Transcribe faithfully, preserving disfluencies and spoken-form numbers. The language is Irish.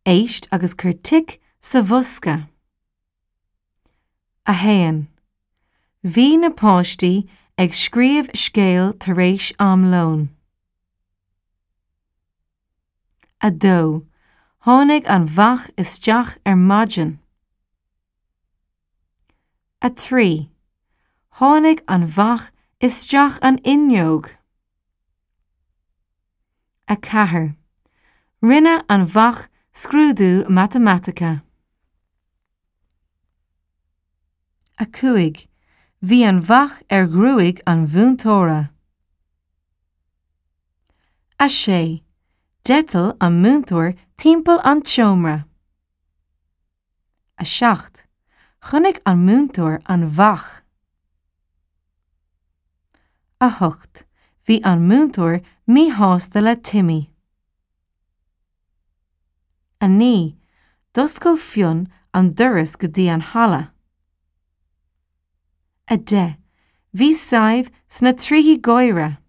Éist agus cuir tic sa bhosca. A haon. Bhí na páistí ag scríobh scéal tar éis am lóin. A dó. Tháinig an bheach isteach ar maidin. A trí. Tháinig an bheach isteach an fhuinneog. A ceathair. Rinne an bheach scrúdú matamaitice. A cúig. Bhí an bheach ar ghruaig an mhúinteora. A sé. D'eitil an múinteoir timpeall an tseomra. A seacht. Chonaic an múinteoir an bheach. A hocht. Bhí an múinteoir míshásta le Timmy. A naoi. D'oscail Fionn an doras go dtí an halla. A deich. Bhí Sadhbh sna trithí gáire.